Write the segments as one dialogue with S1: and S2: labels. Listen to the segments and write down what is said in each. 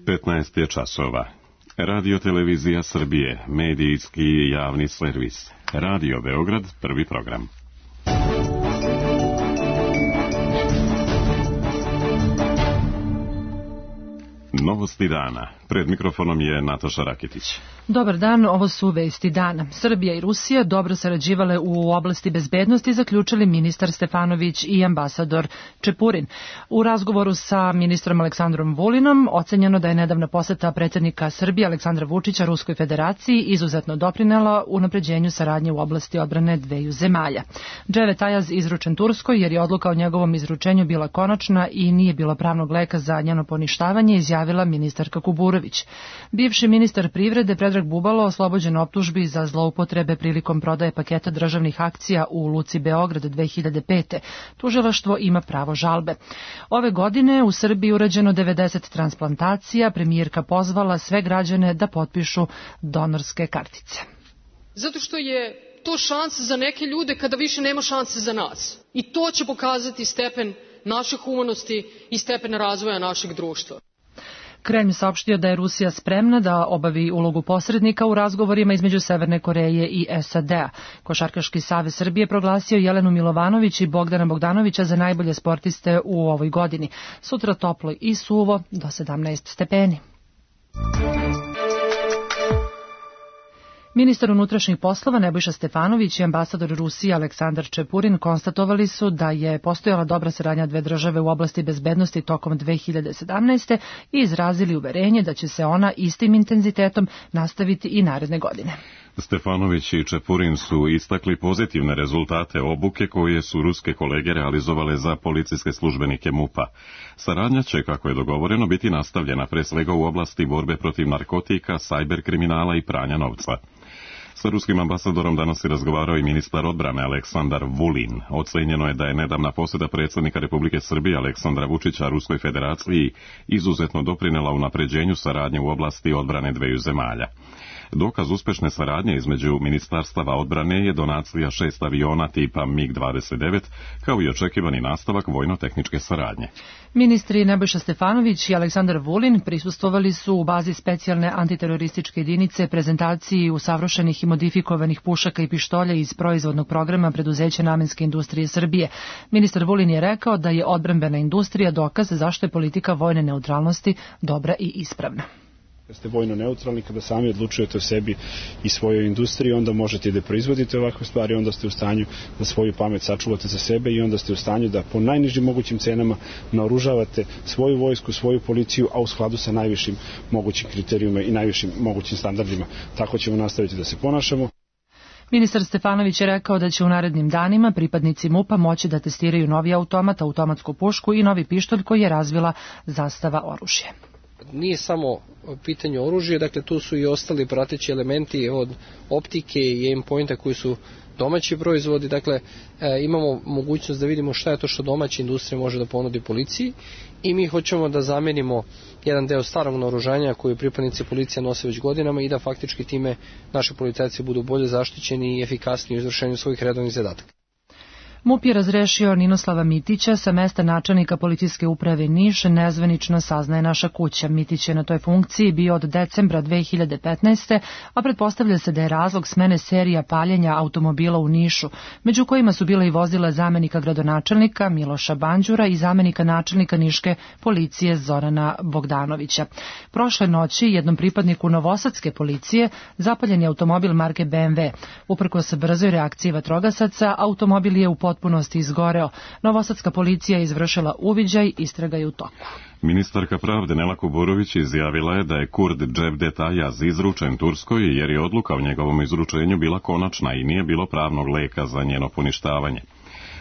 S1: 9:15 je časova. Radio Televizija Srbije, medijski i javni servis. Radio Beograd, prvi program. Novosti dana. Pred mikrofonom je Nataša Raketić.
S2: Dobar dan, ovo su vesti dana. Srbija i Rusija dobro sarađivale u oblasti bezbednosti, zaključili ministar Stefanović i ambasador Čepurin. U razgovoru sa ministrom Aleksandrom Vulinom ocenjeno da je nedavna poseta predsjednika Srbije Aleksandra Vučića Ruskoj federaciji izuzetno doprinela unapređenju saradnje u oblasti odbrane dveju zemalja. Dževet Ajaz izručen Turskoj jer je odluka o njegovom izručenju bila konačna i nije bilo pravnog leka za njeno poništavanje, izjavila ministarka Kuburović. Bivši ministar privrede Predrag Bubalo oslobođen optužbi za zloupotrebe prilikom prodaje paketa državnih akcija u Luci Beograd 2005. Tužilaštvo ima pravo žalbe. Ove godine u Srbiji urađeno 90 transplantacija, premijerka pozvala sve građane da potpišu donorske kartice.
S3: Zato što je to šansa za neke ljude kada više nema šanse za nas. I to će pokazati stepen naše humanosti i stepen razvoja našeg društva.
S2: Kremlj saopštio da je Rusija spremna da obavi ulogu posrednika u razgovorima između Severne Koreje i SAD-a. Košarkaški savez Srbije proglasio Jelenu Milovanović i Bogdana Bogdanovića za najbolje sportiste u ovoj godini. Sutra toplo i suvo do 17 stepeni. Ministar unutrašnjih poslova Nebojša Stefanović i ambasador Rusije Aleksandar Čepurin konstatovali su da je postojala dobra saradnja dve države u oblasti bezbednosti tokom 2017. i izrazili uverenje da će se ona istim intenzitetom nastaviti i naredne godine.
S1: Stefanović i Čepurin su istakli pozitivne rezultate obuke koje su ruske kolege realizovale za policijske službenike MUP-a. Saradnja će, kako je dogovoreno, biti nastavljena pre svega u oblasti borbe protiv narkotika, sajber kriminala i pranja novca. Sa ruskim ambasadorom danas je razgovarao i ministar odbrane Aleksandar Vulin. Ocenjeno je da je nedavna posjeta predsjednika Republike Srbije Aleksandra Vučića Ruskoj federaciji izuzetno doprinela unapređenju saradnje u oblasti odbrane dveju zemalja. Dokaz uspešne saradnje između ministarstava odbrane je donacija 6 aviona tipa MiG-29, kao i očekivani nastavak vojno-tehničke saradnje.
S2: Ministri Nebojša Stefanović i Aleksandar Vulin prisustvovali su u bazi specijalne antiterorističke jedinice prezentaciji usavršenih i modifikovanih pušaka i pištolja iz proizvodnog programa preduzeća Namenske industrije Srbije. Ministar Vulin je rekao da je odbrambena industrija dokaz zašto je politika vojne neutralnosti dobra i ispravna.
S4: Kada ste vojno neutralni, kada sami odlučujete o sebi i svojoj industriji, onda možete i da proizvodite ovakve stvari, onda ste u stanju da svoju pamet sačuvate za sebe i onda ste u stanju da po najnižim mogućim cenama naoružavate svoju vojsku, svoju policiju, a u skladu sa najvišim mogućim kriterijuma i najvišim mogućim standardima. Tako ćemo nastaviti da se ponašamo.
S2: Ministar Stefanović je rekao da će u narednim danima pripadnici MUP-a moći da testiraju novi automat, automatsku pušku i novi pištolj koji je razvila Zastava oružje.
S5: Nije samo pitanje oružja, dakle tu su i ostali prateći elementi od optike i aim-pointa koji su domaći proizvodi, dakle imamo mogućnost da vidimo šta je to što domaća industrija može da ponudi policiji i mi hoćemo da zamenimo jedan deo starog naoružanja koji pripadnici policije nose već godinama i da faktički time naši policajci budu bolje zaštićeni i efikasniji u izvršenju svojih redovnih zadataka.
S2: MUP je razrešio Ninoslava Mitića sa mesta načelnika policijske uprave Niš, nezvanično saznaje Naša kuća. Mitić je na toj funkciji bio od decembra 2015. a pretpostavlja se da je razlog smene serija paljenja automobila u Nišu, među kojima su bile i vozila zamenika gradonačelnika Miloša Banđura i zamenika načelnika niške policije Zorana Bogdanovića. Prošle noći jednom pripadniku novosadske policije zapaljen je automobil marke BMW. Uprkos brzoj reakciji vatrogasaca, automobil je u potpunosti izgoreo. Novosadska policija je izvršila uviđaj, istraga je u toku.
S1: Ministarka pravde Nela Kuburović izjavila je da je Kurd Dževdet Ajaz izručen Turskoj jer je odluka o njegovom izručenju bila konačna i nije bilo pravnog leka za njeno poništavanje.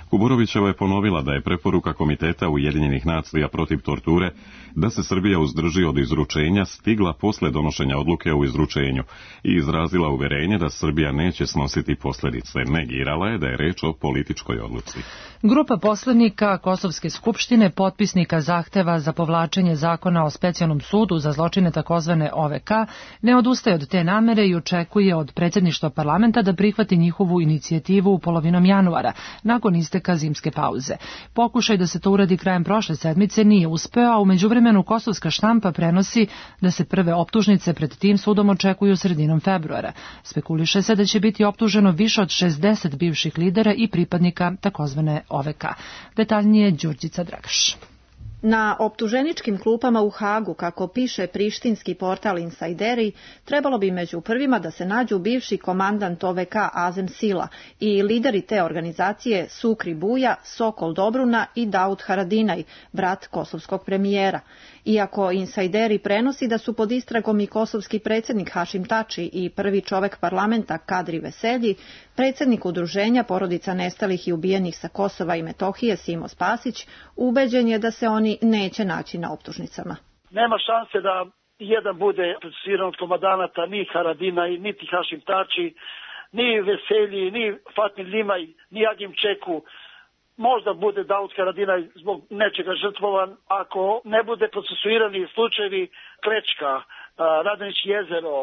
S1: Kuburovićeva je ponovila da je preporuka Komiteta Ujedinjenih nacija protiv torture da se Srbija uzdrži od izručenja stigla posle donošenja odluke o izručenju i izrazila uverenje da Srbija neće snositi posljedice. Negirala je da je reč o političkoj odluci.
S2: Grupa poslanika Kosovske skupštine, potpisnika zahteva za povlačenje zakona o specijalnom sudu za zločine takozvane OVK, ne odustaje od te namere i očekuje od predsjedništva parlamenta da prihvati njihovu inicijativu u polovinom januara, nakon isteka isteka zimske pauze. Pokušaj da se to uradi krajem prošle sedmice nije uspeo, a u međuvremenu kosovska štampa prenosi da se prve optužnice pred tim sudom očekuju sredinom februara. Spekuliše se da će biti optuženo više od 60 bivših lidera i pripadnika takozvane OVK. Detaljnije Đurđica Dragaš.
S6: Na optuženičkim klupama u Hagu, kako piše prištinski portal Insajderi, trebalo bi među prvima da se nađu bivši komandant OVK Azem Sila i lideri te organizacije Sukri Buja, Sokol Dobruna i Daud Haradinaj, brat kosovskog premijera. Iako Insajderi prenosi da su pod istragom i kosovski predsjednik Hašim Tači i prvi čovek parlamenta Kadri Veselji, predsjednik udruženja porodica nestalih i ubijenih sa Kosova i Metohije Simo Spasić, ubeđen je da se oni neće naći na optužnicama.
S7: Nema šanse da jedan bude procesuiran od komandanata, ni Haradinaj, niti Hašim Tači, ni Veselji, ni Fatmir Limaj, ni Agim Čeku. Možda bude Daud Haradinaj zbog nečega žrtvovan, ako ne bude procesuirani slučajevi Klečka, Radanić jezero,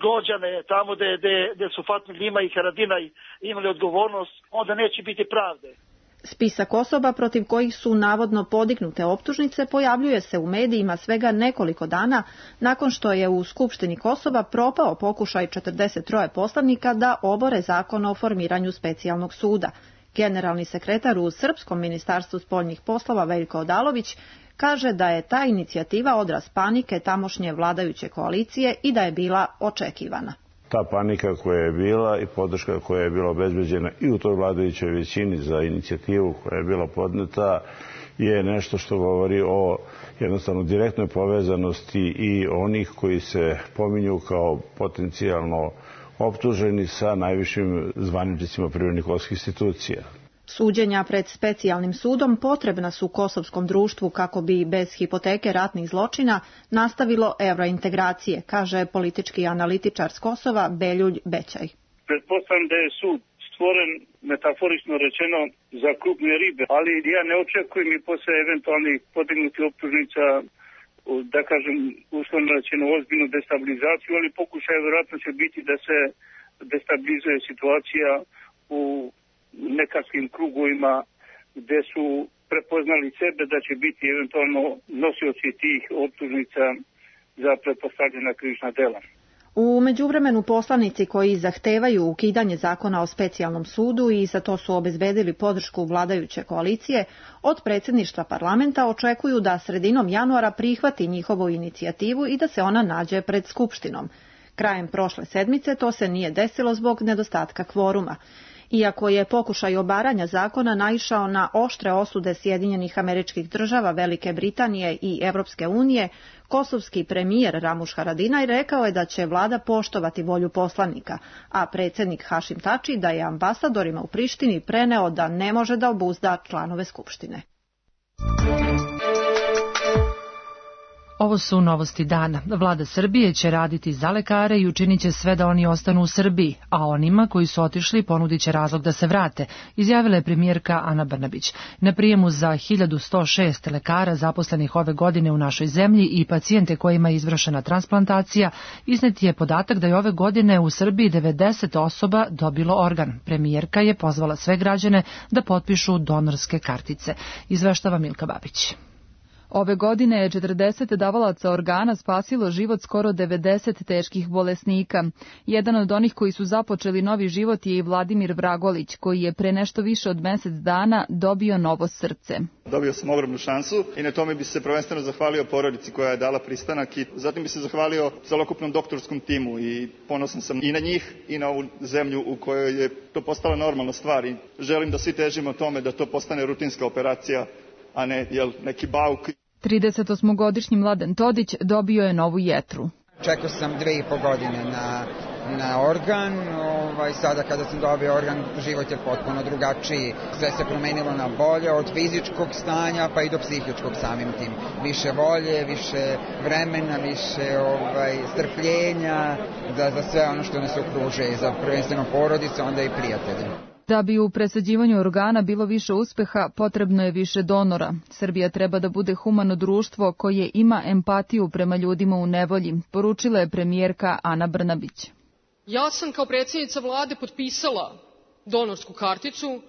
S7: Gođane, tamo gde su Fatmir Limaj i Haradinaj imali odgovornost, onda neće biti pravde.
S6: Spisak osoba protiv kojih su navodno podignute optužnice pojavljuje se u medijima svega nekoliko dana nakon što je u Skupštini Kosova propao pokušaj 43 poslanika da obore zakon o formiranju specijalnog suda. Generalni sekretar u Srpskom ministarstvu spoljnih poslova Veljko Odalović kaže da je ta inicijativa odraz panike tamošnje vladajuće koalicije i da je bila očekivana.
S8: Ta panika koja je bila i podrška koja je bila obezbeđena i u toj vladajućoj većini za inicijativu koja je bila podneta je nešto što govori o jednostavno direktnoj povezanosti i onih koji se pominju kao potencijalno optuženi sa najvišim zvaničnicima privrednih institucija.
S6: Suđenja pred specijalnim sudom potrebna su kosovskom društvu kako bi bez hipoteke ratnih zločina nastavilo evrointegracije, kaže politički analitičar s Kosova Beljulj Bećaj.
S9: Pretpostavljam da je sud stvoren, metaforično rečeno, za krupne ribe, ali ja ne očekujem i posle eventualnih podignutih optužnica, da kažem, uslovno rečeno ozbiljnu destabilizaciju, ali pokušaj vjerojatno će biti da se destabilizuje situacija u nekakvim krugovima gde su prepoznali sebe da će biti eventualno nosioci tih optužnica za pretpostavljena krivična dela.
S6: U međuvremenu poslanici koji zahtevaju ukidanje zakona o specijalnom sudu i za to su obezbedili podršku vladajuće koalicije, od predsjedništva parlamenta očekuju da sredinom januara prihvati njihovu inicijativu i da se ona nađe pred Skupštinom. Krajem prošle sedmice to se nije desilo zbog nedostatka kvoruma. Iako je pokušaj obaranja zakona naišao na oštre osude Sjedinjenih Američkih Država, Velike Britanije i Evropske unije, kosovski premijer Ramuš Haradinaj rekao je da će vlada poštovati volju poslanika, a predsjednik Hašim Tači da je ambasadorima u Prištini preneo da ne može da obuzda članove Skupštine.
S2: Ovo su novosti dana. Vlada Srbije će raditi za lekare i učinit će sve da oni ostanu u Srbiji, a onima koji su otišli ponudit će razlog da se vrate, izjavila je premijerka Ana Brnabić. Na prijemu za 1106 lekara zaposlenih ove godine u našoj zemlji i pacijente kojima je izvršena transplantacija, iznet je podatak da je ove godine u Srbiji 90 osoba dobilo organ. Premijerka je pozvala sve građane da potpišu donorske kartice. Izveštava Milka Babić.
S10: Ove godine je 40 davalaca organa spasilo život skoro 90 teških bolesnika. Jedan od onih koji su započeli novi život je i Vladimir Vragolić, koji je pre nešto više od mesec dana dobio novo srce.
S11: Dobio sam ogromnu šansu i na tome bi se prvenstveno zahvalio porodici koja je dala pristanak i zatim bi se zahvalio celokupnom doktorskom timu i ponosan sam i na njih i na ovu zemlju u kojoj je to postala normalna stvar i želim da svi težimo tome da to postane rutinska operacija, a ne neki bauk.
S10: 38-godišnji Mladen Todić dobio je novu jetru.
S12: Čekao sam 2,5 godine na organ, sada kada sam dobio organ život je potpuno drugačiji. Sve se promenilo na bolje od fizičkog stanja pa i do psihičkog samim tim. Više volje, više vremena, više strpljenja za sve ono što nas okružuje, za prvenstveno porodicu, onda i prijatelje.
S10: Da bi u presađivanju organa bilo više uspeha, potrebno je više donora. Srbija treba da bude humano društvo koje ima empatiju prema ljudima u nevolji, poručila je premijerka Ana Brnabić.
S3: Ja sam kao predsjednica vlade potpisala donorsku karticu,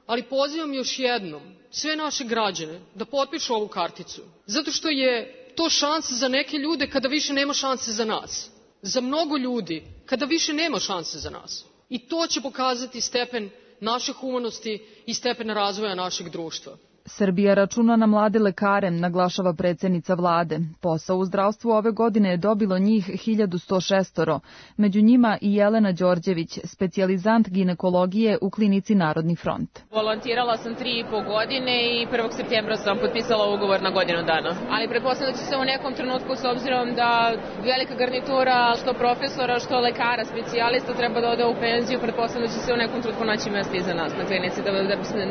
S3: ali pozivam još jednom sve naše građane da potpišu ovu karticu, zato što je to šansa za neke ljude kada više nema šanse za nas, za mnogo ljudi kada više nema šanse za nas. I to će pokazati stepen naše humanosti i stepen razvoja našeg društva.
S10: Srbija računa na mlade lekare, naglašava predsjednica vlade. Posao u zdravstvu ove godine je dobilo njih 1106, među njima i Jelena Đorđević, specijalizant ginekologije u klinici Narodni front.
S13: Volontirala sam 3,5 godine i 1. septembra sam potpisala ugovor na godinu dana. Ali pretpostavljam da će se u nekom trenutku, s obzirom da velika garnitura, što profesora, što lekara, specijalista treba da ode u penziju, pretpostavljam da će se u nekom trenutku naći mjesto iza nas na klinici, da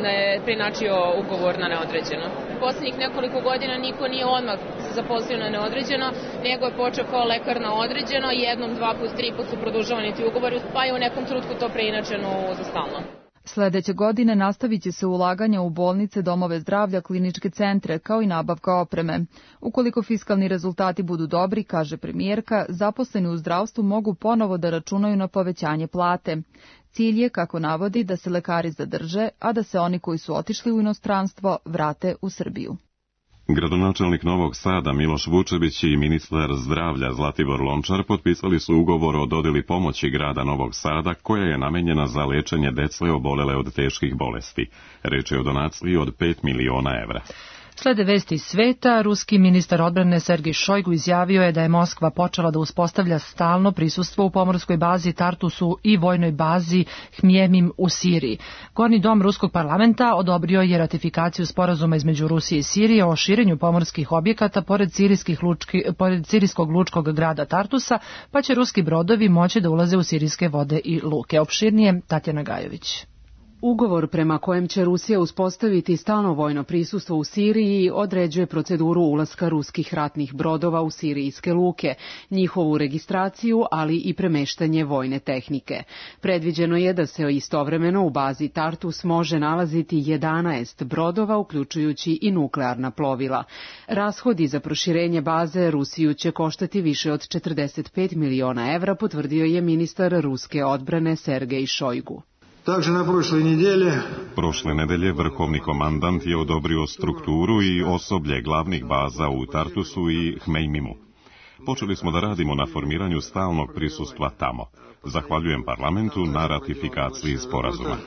S13: ne prinačio ugovor na neodređeno. Poslednjih nekoliko godina niko nije odmah se zaposlio na neodređeno, nego je počeo kao lekar na određeno, jednom, 2 put, 3 put su produžavani ti ugovori, pa je u nekom trenutku to preinačeno za stalno.
S10: Sledeće godine nastavit će se ulaganja u bolnice, domove zdravlja, kliničke centre, kao i nabavka opreme. Ukoliko fiskalni rezultati budu dobri, kaže premijerka, zaposleni u zdravstvu mogu ponovo da računaju na povećanje plate. Cilj je, kako navodi, da se lekari zadrže, a da se oni koji su otišli u inostranstvo vrate u Srbiju.
S1: Gradonačelnik Novog Sada Miloš Vučević i ministar zdravlja Zlatibor Lončar potpisali su ugovor o dodeli pomoći grada Novog Sada koja je namenjena za lečenje dece obolele od teških bolesti. Reč je o donaciji od 5 miliona evra.
S2: Slede vesti iz sveta, ruski ministar odbrane Sergej Šojgu izjavio je da je Moskva počela da uspostavlja stalno prisustvo u pomorskoj bazi Tartusu i vojnoj bazi Hmjemim u Siriji. Gornji dom ruskog parlamenta odobrio je ratifikaciju sporazuma između Rusije i Sirije o širenju pomorskih objekata pored sirijskog lučkog grada Tartusa, pa će ruski brodovi moći da ulaze u sirijske vode i luke. Opširnije Tatjana Gajović.
S14: Ugovor prema kojem će Rusija uspostaviti stalno vojno prisustvo u Siriji određuje proceduru ulaska ruskih ratnih brodova u sirijske luke, njihovu registraciju, ali i premeštanje vojne tehnike. Predviđeno je da se istovremeno u bazi Tartus može nalaziti 11 brodova, uključujući i nuklearna plovila. Rashodi za proširenje baze Rusiju će koštati više od 45 miliona evra, potvrdio je ministar ruske odbrane Sergej Šojgu.
S1: Prošle nedelje vrhovni komandant je odobrio strukturu i osoblje glavnih baza u Tartusu i Hmejmimu. Počeli smo da radimo na formiranju stalnog prisustva tamo. Zahvaljujem parlamentu na ratifikaciji sporazuma.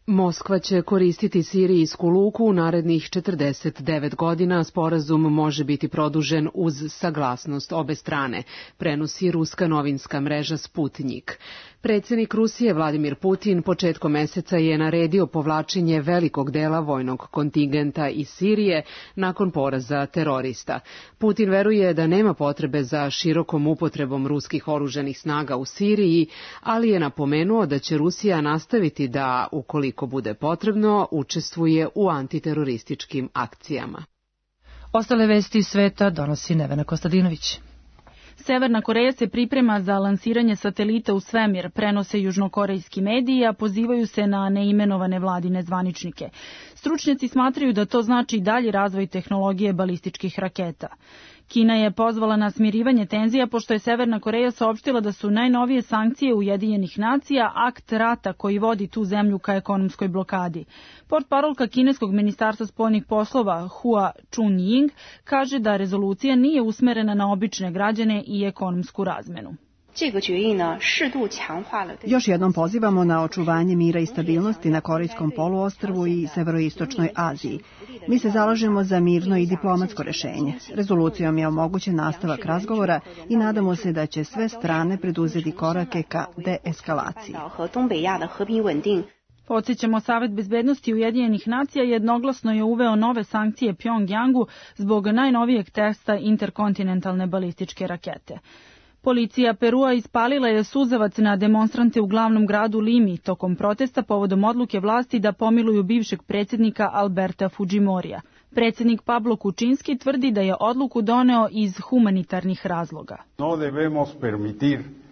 S14: Moskva će koristiti sirijsku luku u narednih 49 godina. Sporazum može biti produžen uz saglasnost obe strane, prenosi ruska novinska mreža Sputnjik. Predsjednik Rusije Vladimir Putin početkom meseca je naredio povlačenje velikog dela vojnog kontingenta iz Sirije nakon poraza terorista. Putin veruje da nema potrebe za širokom upotrebom ruskih oružanih snaga u Siriji, ali je napomenuo da će Rusija nastaviti da, ukoliko bude potrebno, učestvuje u antiterorističkim akcijama.
S2: Ostale vesti iz sveta donosi Nevena Kostadinović.
S15: Severna Koreja se priprema za lansiranje satelita u svemir, prenose južnokorejski mediji, a pozivaju se na neimenovane vladine zvaničnike. Stručnjaci smatraju da to znači dalji razvoj tehnologije balističkih raketa. Kina je pozvala na smirivanje tenzija pošto je Severna Koreja saopštila da su najnovije sankcije Ujedinjenih nacija akt rata koji vodi tu zemlju ka ekonomskoj blokadi. Portparolka kineskog ministarstva spoljnih poslova Hua Chunying kaže da rezolucija nije usmerena na obične građane i ekonomsku razmenu.
S16: Još jednom pozivamo na očuvanje mira i stabilnosti na Korejskom poluostrvu i severoistočnoj Aziji. Mi se zalažemo za mirno i diplomatsko rešenje. Rezolucijom je omogućen nastavak razgovora i nadamo se da će sve strane preduzeti korake ka deeskalaciji.
S15: Podsjećamo, Savet bezbednosti Ujedinjenih nacija jednoglasno je uveo nove sankcije Pjongjangu zbog najnovijeg testa interkontinentalne balističke rakete. Policija Perua ispalila je suzavac na demonstrante u glavnom gradu Limi tokom protesta povodom odluke vlasti da pomiluju bivšeg predsjednika Alberta Fujimorija. Predsjednik Pablo Kučinski tvrdi da je odluku doneo iz humanitarnih razloga.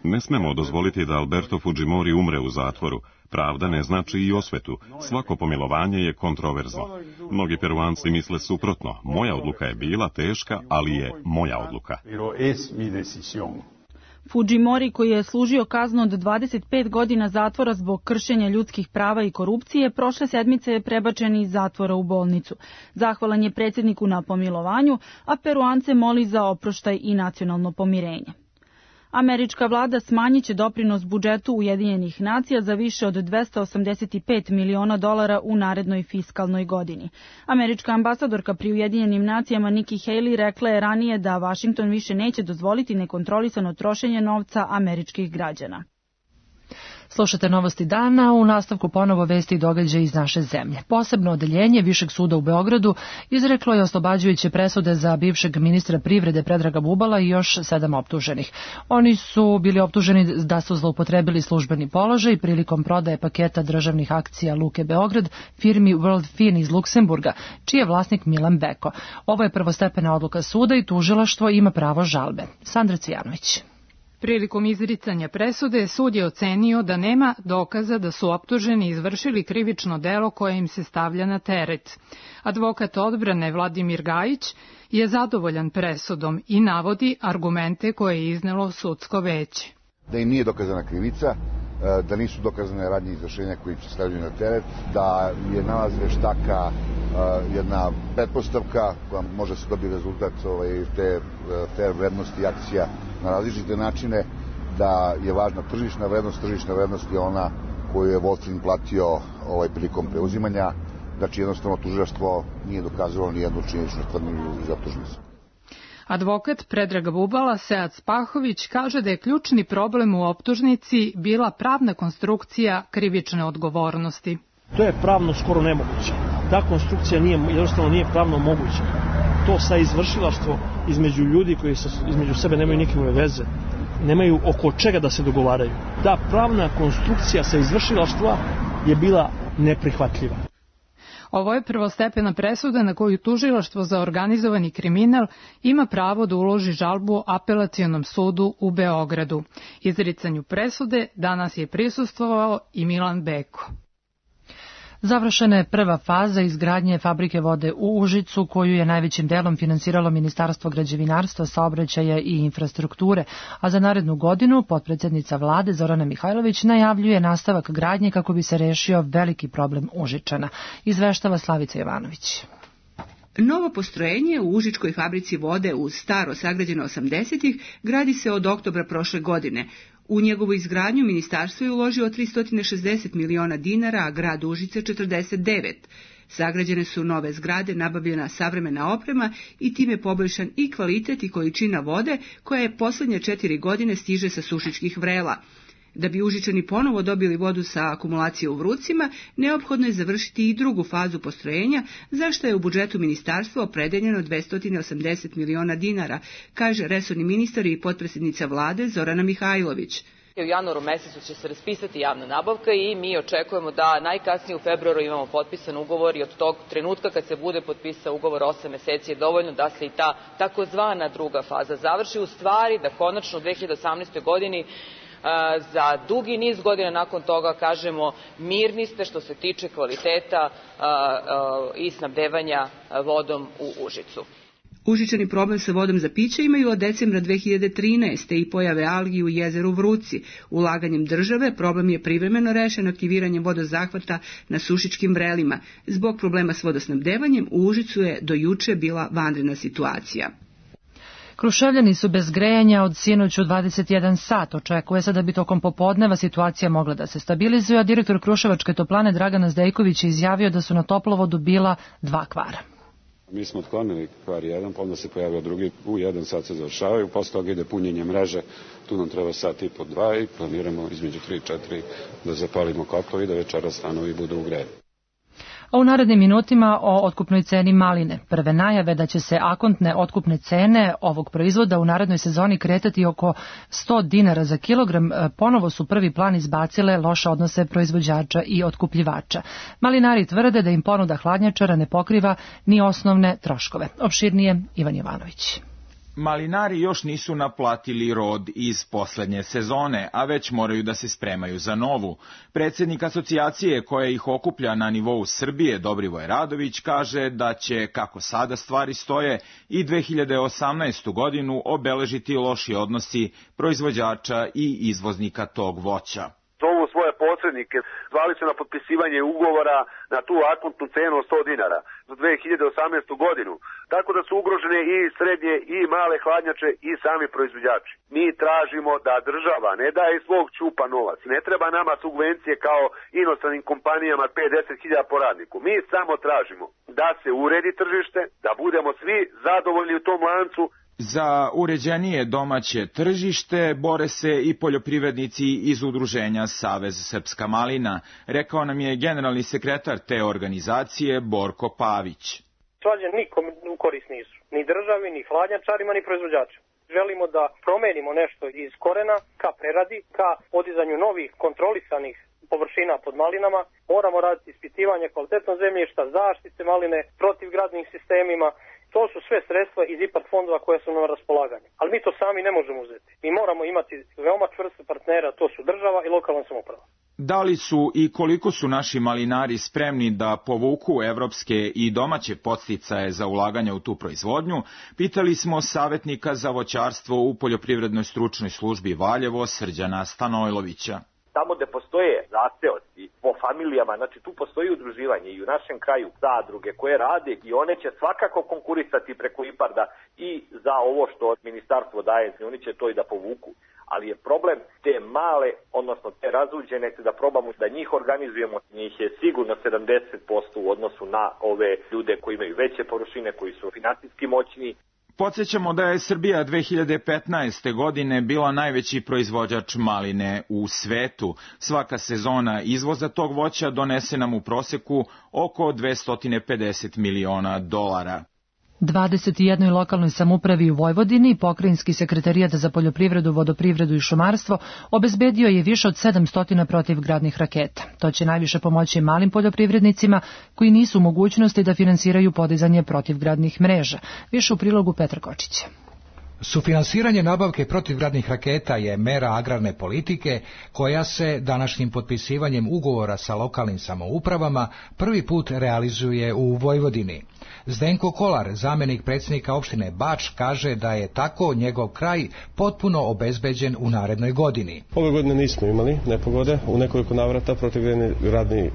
S1: Ne smemo dozvoliti da Alberto Fujimori umre u zatvoru. Pravda ne znači i osvetu. Svako pomilovanje je kontroverzno. Mnogi Peruanci misle suprotno. Moja odluka je bila teška, ali je moja odluka.
S15: Fujimori, koji je služio kaznu od 25 godina zatvora zbog kršenja ljudskih prava i korupcije, prošle sedmice je prebačen iz zatvora u bolnicu. Zahvalan je predsjedniku na pomilovanju, a Peruance moli za oproštaj i nacionalno pomirenje. Američka vlada smanjit će doprinos budžetu Ujedinjenih nacija za više od $285 miliona u narednoj fiskalnoj godini. Američka ambasadorka pri Ujedinjenim nacijama Nikki Haley rekla je ranije da Washington više neće dozvoliti nekontrolisano trošenje novca američkih građana.
S2: Slušate novosti dana, u nastavku ponovo vesti i događaje iz naše zemlje. Posebno odeljenje Višeg suda u Beogradu izreklo je oslobađajuće presude za bivšeg ministra privrede Predraga Bubala i još 7 optuženih. Oni su bili optuženi da su zloupotrebili službeni položaj prilikom prodaje paketa državnih akcija Luke Beograd firmi World Fin iz Luksemburga, čiji je vlasnik Milan Beko. Ovo je prvostepena odluka suda i tužilaštvo ima pravo žalbe. Sandra Cvijanović.
S17: Prilikom izricanja presude, sud je ocenio da nema dokaza da su optuženi izvršili krivično delo koje im se stavlja na teret. Advokat odbrane Vladimir Gajić je zadovoljan presudom i navodi argumente koje je iznelo sudsko veće.
S18: Da im nije dokazana krivica, da nisu dokazane radnje izvršenja koji se stavljaju na teret, da je nalaz veštaka jedna pretpostavka koja može se dobiti rezultat te fair vrednosti akcija na različite načine, da je važna tržišna vrednost je ona koju je Wolfing platio prilikom preuzimanja, znači jednostavno tužilaštvo nije dokazalo ni jednu činjeničnu tvrdnju iz optužnice.
S17: Advokat Predraga Bubala, Sead Spahović, kaže da je ključni problem u optužnici bila pravna konstrukcija krivične odgovornosti.
S19: To je pravno skoro nemoguće. Ta konstrukcija jednostavno nije pravno moguća. To sa izvršilaštvo između ljudi koji između sebe nemaju nikakve veze, nemaju oko čega da se dogovaraju. Ta pravna konstrukcija sa izvršilaštva je bila neprihvatljiva.
S17: Ovo je prvostepena presuda na koju tužilaštvo za organizovani kriminal ima pravo da uloži žalbu Apelacionom sudu u Beogradu. Izricanju presude danas je prisustvovao i Milan Beko.
S2: Završena je prva faza izgradnje fabrike vode u Užicu, koju je najvećim delom finansiralo Ministarstvo građevinarstva, saobraćaja i infrastrukture, a za narednu godinu potpredsednica vlade Zorana Mihajlović najavljuje nastavak gradnje kako bi se rešio veliki problem Užičana. Izveštava Slavica Jovanović.
S20: Novo postrojenje u Užičkoj fabrici vode u staro sagrađeno 80-ih gradi se od oktobra prošle godine. U njegovu izgradnju ministarstvo je uložilo 360 miliona dinara, a grad Užice 49. Sagrađene su nove zgrade, nabavljena savremena oprema i time poboljšan i kvalitet i količina vode koja je posljednje 4 godine stiže sa Sušičkih vrela. Da bi Užičani ponovo dobili vodu sa akumulacije u Vrucima, neophodno je završiti i drugu fazu postrojenja, za što je u budžetu ministarstva opredeljeno 280 miliona dinara, kaže resorni ministar i potpredsjednica vlade Zorana Mihajlović.
S21: U januaru mesecu će se raspisati javna nabavka i mi očekujemo da najkasnije u februaru imamo potpisan ugovor i od tog trenutka kad se bude potpisao ugovor 8 meseci je dovoljno da se i ta takozvana druga faza završi. U stvari da konačno u 2018. godini za dugi niz godina nakon toga kažemo mirni ste što se tiče kvaliteta i snabdevanja vodom u Užicu.
S20: Užičani problem sa vodom za piće imaju od decembra 2013. i pojave algi u jezeru Vruci. Ulaganjem države problem je privremeno rešen aktiviranjem vodozahvata na Sušičkim vrelima. Zbog problema s vodosnabdevanjem u Užicu je do juče bila vanredna situacija.
S2: Kruševljani su bez grejanja od sinoć u 21 sat. Očekuje se da bi tokom popodneva situacija mogla da se stabilizuje, a direktor Kruševačke toplane Dragan Zdejković je izjavio da su na toplovodu bila 2 kvara.
S22: Mi smo otklonili kvar 1, pa onda se pojavio drugi, u 1 sat se završavaju, posle toga ide punjenje mreže, tu nam treba sat i po 2 i planiramo između 3 i 4 da zapalimo kotlovi i da večera stanovi budu ugrejeni.
S2: A u narednim minutima o otkupnoj ceni maline. Prve najave da će se akontne otkupne cene ovog proizvoda u narednoj sezoni kretati oko 100 dinara za kilogram, ponovo su prvi plan izbacile loše odnose proizvođača i otkupljivača. Malinari tvrde da im ponuda hladnjačara ne pokriva ni osnovne troškove. Opširnije Ivan Jovanović.
S4: Malinari još nisu naplatili rod iz poslednje sezone, a već moraju da se spremaju za novu. Predsjednik asocijacije koja ih okuplja na nivou Srbije, Dobrivoj Radović, kaže da će, kako sada stvari stoje, i 2018. godinu obeležiti loši odnosi proizvođača i izvoznika tog voća.
S5: Zovu svoje posrednike, zvali su na potpisivanje ugovora na tu akontnu cenu od 100 dinara za 2018. godinu. Tako da su ugrožene i srednje i male hladnjače i sami proizvođači. Mi tražimo da država ne daje iz svog ćupa novac. Ne treba nama subvencije kao inostranim kompanijama 50.000 po radniku. Mi samo tražimo da se uredi tržište, da budemo svi zadovoljni u tom lancu.
S4: Za uređenije domaće tržište bore se i poljoprivrednici iz udruženja Savez Srpska malina, rekao nam je generalni sekretar te organizacije Borko Pavić.
S23: Svađe nikom u korist nisu, ni državi, ni hladnjačarima, ni proizvođačima. Želimo da promenimo nešto iz korena ka preradi, ka podizanju novih kontrolisanih površina pod malinama. Moramo raditi ispitivanje kvalitetnog zemljišta, zaštite maline, protivgradnim sistemima. To su sve sredstva iz IPARD fondova koje su na raspolaganju. Ali mi to sami ne možemo uzeti. Mi moramo imati veoma čvrste partnera, to su država i lokalna samouprava.
S4: Da li su i koliko su naši malinari spremni da povuku evropske i domaće podsticaje za ulaganje u tu proizvodnju, pitali smo savjetnika za voćarstvo u Poljoprivrednoj stručnoj službi Valjevo Srđana Stanojlovića.
S24: Tamo gde postoje zaseoci po familijama, znači tu postoji udruživanje i u našem kraju zadruge koje rade i one će svakako konkurisati preko IPARD-a i za ovo što ministarstvo daje, oni će to i da povuku. Ali je problem te male, odnosno te razuđene, da probamo da njih organizujemo, njih je sigurno 70% u odnosu na ove ljude koji imaju veće površine, koji su finansijski moćni.
S4: Podsjećamo da je Srbija 2015. godine bila najveći proizvođač maline u svetu. Svaka sezona izvoza tog voća donese nam u proseku oko $250 miliona.
S2: 21. lokalnoj samoupravi u Vojvodini pokrajinski sekretarijat za poljoprivredu, vodoprivredu i šumarstvo obezbedio je više od 700 protivgradnih raketa. To će najviše pomoći malim poljoprivrednicima koji nisu u mogućnosti da finansiraju podizanje protivgradnih mreža. Više u prilogu Petra Kočića.
S25: Sufinansiranje nabavke protivgradnih raketa je mera agrarne politike koja se današnjim potpisivanjem ugovora sa lokalnim samoupravama prvi put realizuje u Vojvodini. Zdenko Kolar, zamjenik predsjednika opštine Bač, kaže da je tako njegov kraj potpuno obezbeđen u narednoj godini.
S26: Ove godine nismo imali nepogode, u nekoliko navrata protivgradni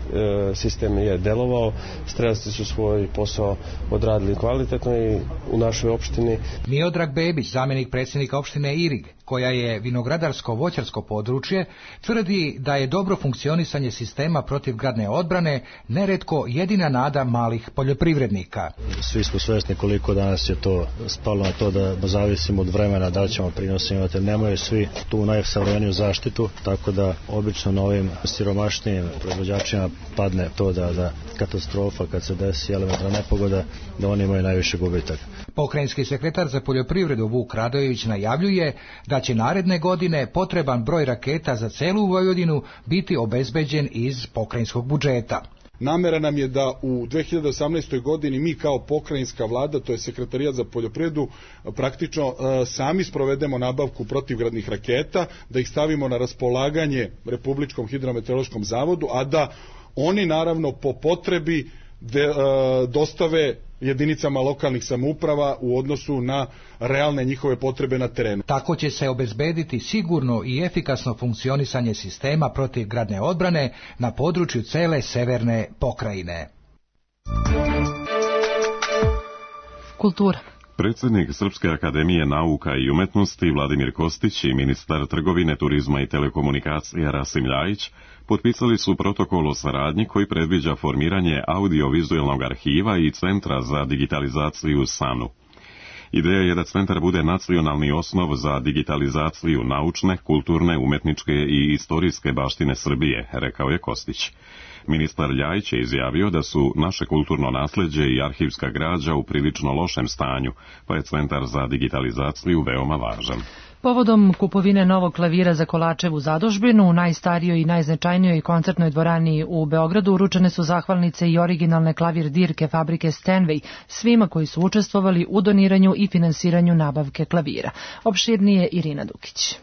S26: sistem je delovao, strelci su svoj posao odradili kvalitetno i u našoj opštini.
S25: Miodrag Bebić, zamjenik predsjednika opštine Irig, koja je vinogradarsko-voćarsko područje, tvrdi da je dobro funkcionisanje sistema protivgradne odbrane neretko jedina nada malih poljoprivrednika.
S27: Svi smo svesni koliko danas je to spalo na to da zavisimo od vremena da ćemo prinosi imati. Nemaju svi tu najsavremeniju zaštitu, tako da obično na ovim siromašnijim proizvođačima padne to da katastrofa kad se desi elementarna nepogoda, da oni imaju najviše gubitak.
S25: Pokrajinski sekretar za poljoprivredu Vuk Radojević najavljuje da će naredne godine potreban broj raketa za celu Vojvodinu biti obezbeđen iz pokrajinskog budžeta.
S28: Namera nam je da u 2018. godini mi kao pokrajinska vlada, to je sekretarijat za poljoprivredu, praktično sami sprovedemo nabavku protivgradnih raketa, da ih stavimo na raspolaganje Republičkom hidrometeorološkom zavodu, a da oni naravno po potrebi dostave jedinicama lokalnih samouprava u odnosu na realne njihove potrebe na terenu.
S25: Tako će se obezbediti sigurno i efikasno funkcionisanje sistema protivgradne odbrane na području cele severne pokrajine.
S2: Kultura.
S1: Predsjednik Srpske akademije nauka i umetnosti Vladimir Kostić i ministar trgovine, turizma i telekomunikacija Rasim Ljajić potpisali su protokol o saradnji koji predviđa formiranje audiovizualnog arhiva i centra za digitalizaciju u SANU. Ideja je da centar bude nacionalni osnov za digitalizaciju naučne, kulturne, umetničke i istorijske baštine Srbije, rekao je Kostić. Ministar Ljajić je izjavio da su naše kulturno nasleđe i arhivska građa u prilično lošem stanju, pa je Centar za digitalizaciju veoma važan.
S2: Povodom kupovine novog klavira za Kolačevu zadužbinu u najstarijoj i najznačajnijoj koncertnoj dvorani u Beogradu uručene su zahvalnice i originalne klavir dirke fabrike Stenway svima koji su učestvovali u doniranju i finansiranju nabavke klavira. Opširnije Irina Dukić.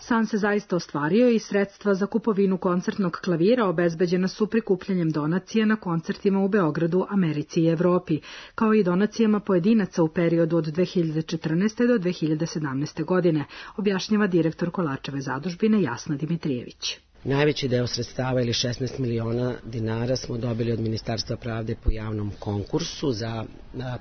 S3: San se zaista ostvario i sredstva za kupovinu koncertnog klavira obezbeđena su prikupljanjem donacija na koncertima u Beogradu, Americi i Evropi, kao i donacijama pojedinaca u periodu od 2014. do 2017. godine, objašnjava direktor Kolačeve zadužbine Jasna Dimitrijević.
S6: Najveći deo sredstava ili 16 miliona dinara smo dobili od Ministarstva pravde po javnom konkursu za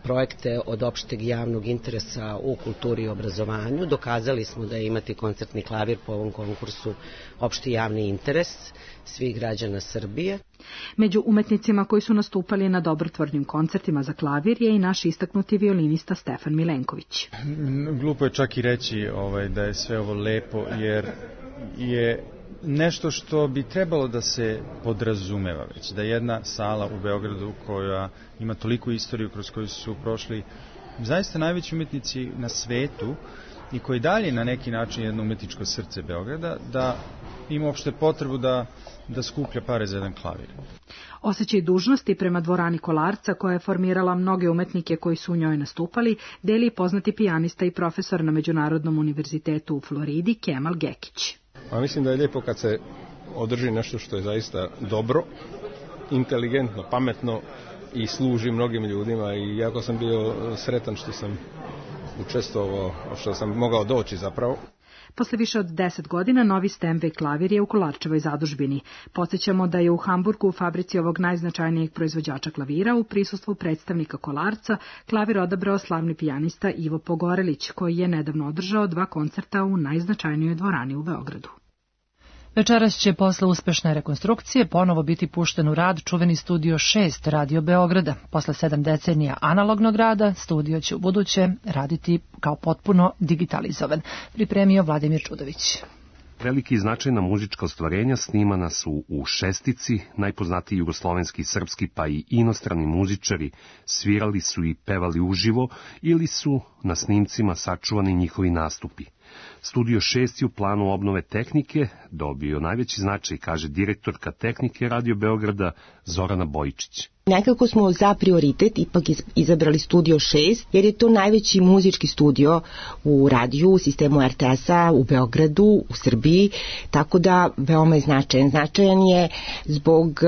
S6: projekte od opšteg javnog interesa u kulturi i obrazovanju. Dokazali smo da je imati koncertni klavir po ovom konkursu opšti javni interes svih građana Srbije.
S3: Među umetnicima koji su nastupali na dobrotvornim koncertima za klavir je i naš istaknuti violinista Stefan Milenković.
S7: Glupo je čak i reći da je sve ovo lepo, jer je nešto što bi trebalo da se podrazumeva već, da jedna sala u Beogradu koja ima toliku istoriju kroz koju su prošli zaista najveći umetnici na svetu i koji dalje na neki način jedno umetničko srce Beograda, da ima uopšte potrebu da skuplja pare za jedan klavir.
S3: Osjećaj dužnosti prema dvorani Kolarca, koja je formirala mnoge umetnike koji su u njoj nastupali, deli poznati pijanista i profesor na Međunarodnom univerzitetu u Floridi Kemal Gekić.
S8: Mislim da je lijepo kad se održi nešto što je zaista dobro, inteligentno, pametno i služi mnogim ljudima i jako sam bio sretan što sam učestvovao, što sam mogao doći zapravo.
S3: Posle više od 10 godina novi Stenway klavir je u Kolarčevoj zadužbini. Podsjećamo da je u Hamburgu u fabrici ovog najznačajnijeg proizvođača klavira u prisustvu predstavnika Kolarca klavir odabrao slavni pijanista Ivo Pogorelić, koji je nedavno održao 2 koncerta u najznačajnijoj dvorani u Beogradu.
S2: Večeras će posle uspešne rekonstrukcije ponovo biti pušten u rad čuveni studio 6 Radio Beograda. Posle 7 decenija analognog rada, studio će u buduće raditi kao potpuno digitalizovan. Pripremio Vladimir Čudović.
S9: Veliki i značajna muzička ostvarenja snimana su u Šestici, najpoznatiji jugoslovenski, srpski pa i inostrani muzičari svirali su i pevali uživo ili su na snimcima sačuvani njihovi nastupi. Studio 6 je u planu obnove tehnike dobio najveći značaj, kaže direktorka tehnike Radio Beograda Zorana Bojičić.
S11: Nekako smo za prioritet ipak izabrali studio 6, jer je to najveći muzički studio u radiju, u sistemu RTS-a, u Beogradu, u Srbiji, tako da veoma je značajan. Značajan je zbog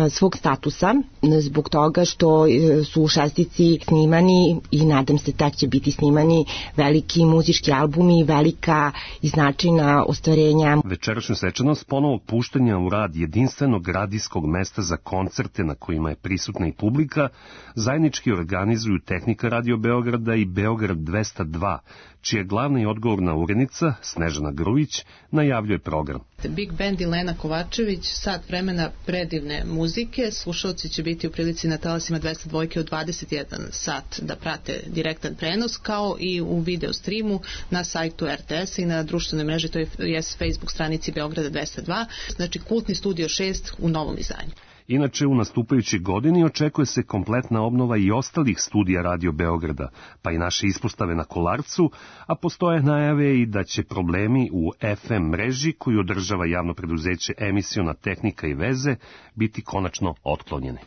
S11: svog statusa, zbog toga što su u Šestici snimani i nadam se da će biti snimani veliki muzički albumi, velika i značajna ostvarenja.
S9: Večerašnja svečanost ponovog puštanja u rad jedinstvenog radijskog mesta za koncerte na kojima je prisutna i publika, zajednički organizuju Tehnika Radio Beograda i Beograd 202, čija glavna i odgovorna urednica, Snežana Grujić, najavljuje program.
S12: Big Band i Lena Kovačević, sat vremena predivne muzike. Slušalci će biti u prilici na talasima 202 od 21 sat da prate direktan prenos, kao i u video streamu na sajtu RTS i na društvenoj mreži, to je Facebook stranici Beograda 202, znači kultni studio 6 u novom izdanju.
S9: Inače, u nastupajućoj godini očekuje se kompletna obnova i ostalih studija Radio Beograda, pa i naše ispostave na Kolarcu, a postoje najave i da će problemi u FM mreži koju održava javno preduzeće Emisiona tehnika i veze biti konačno otklonjeni.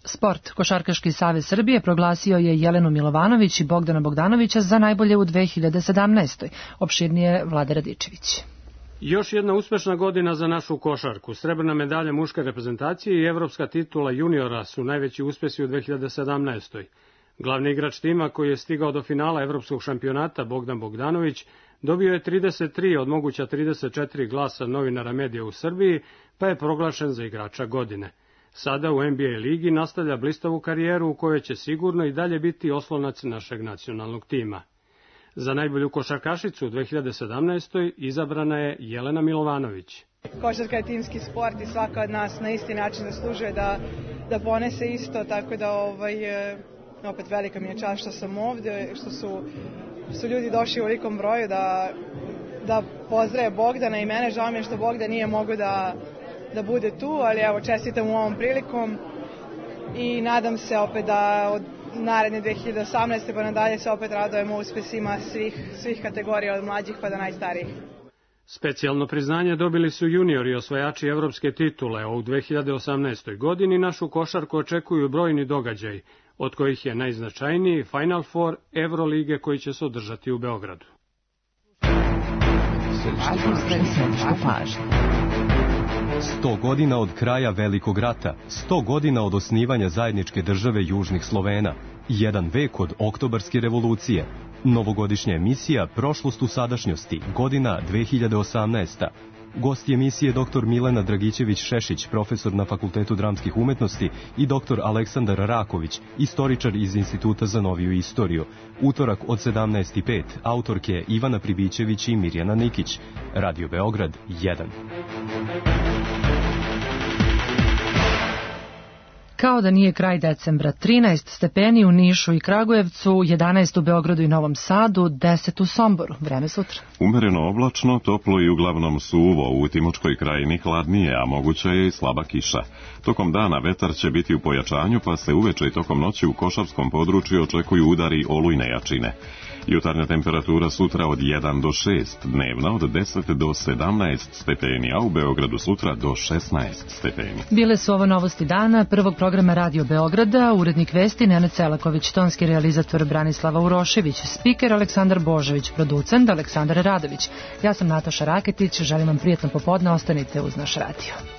S2: Sport. Košarkaški savez Srbije proglasio je Jelenu Milovanović i Bogdana Bogdanovića za najbolje u 2017. Opširnije Vlade Radičević.
S13: Još jedna uspešna godina za našu košarku. Srebrna medalja muške reprezentacije i evropska titula juniora su najveći uspesi u 2017. Glavni igrač tima koji je stigao do finala evropskog šampionata, Bogdan Bogdanović, dobio je 33 od moguća 34 glasa novinara medija u Srbiji, pa je proglašen za igrača godine. Sada u NBA ligi nastavlja blistavu karijeru u kojoj će sigurno i dalje biti oslonac našeg nacionalnog tima. Za najbolju košarkašicu u 2017. izabrana je Jelena Milovanović.
S29: Košarka je timski sport i svaka od nas na isti način zaslužuje da ponese isto, tako da opet velika mi je čast što sam ovde, što su ljudi došli u velikom broju da pozdrave Bogdana i mene. Žao mi je što Bogdan nije mogao da bude tu, ali evo čestitam u ovom prilikom i nadam se opet da od naredne 2018. pa nadalje se opet radujemo uspesima svih kategorija od mlađih pa do najstarijih.
S13: Specijalno priznanje dobili su juniori osvajači evropske titule, a u 2018. godini našu košarku očekuju brojni događaj, od kojih je najznačajniji Final Four Evrolige koji će se održati u Beogradu.
S10: 100 godina od kraja Velikog rata, 100 godina od osnivanja zajedničke države Južnih Slovena, 1 vek od Oktobarske revolucije, novogodišnja emisija Prošlost u sadašnjosti, godina 2018. Gost emisije dr. Milena Dragićević-Šešić, profesor na Fakultetu dramskih umetnosti, i dr. Aleksandar Raković, istoričar iz Instituta za noviju istoriju. Utorak od 17:05, autorke Ivana Pribićević i Mirjana Nikić. Radio Beograd 1.
S2: Kao da nije kraj decembra, 13 stepeni u Nišu i Kragujevcu, 11 u Beogradu i Novom Sadu, 10 u Somboru. Vreme sutra.
S1: Umereno oblačno, toplo i uglavnom suvo, u Timočkoj krajini hladnije, a moguća je i slaba kiša. Tokom dana vetar će biti u pojačanju, pa se uveče i tokom noći u Košavskom području očekuju udari olujne jačine. Jutarnja temperatura sutra od 1 do 6, dnevna od 10 do 17 stepeni, a u Beogradu sutra do 16 stepeni.
S2: Bile su ovo novosti dana prvog programa Radio Beograda, urednik vesti Nenad Selaković, tonski realizator Branislava Urošević, spiker Aleksandar Božović, producent Aleksandar Radović. Ja sam Nataša Raketić, želim vam prijatno popodne, ostanite uz naš radio.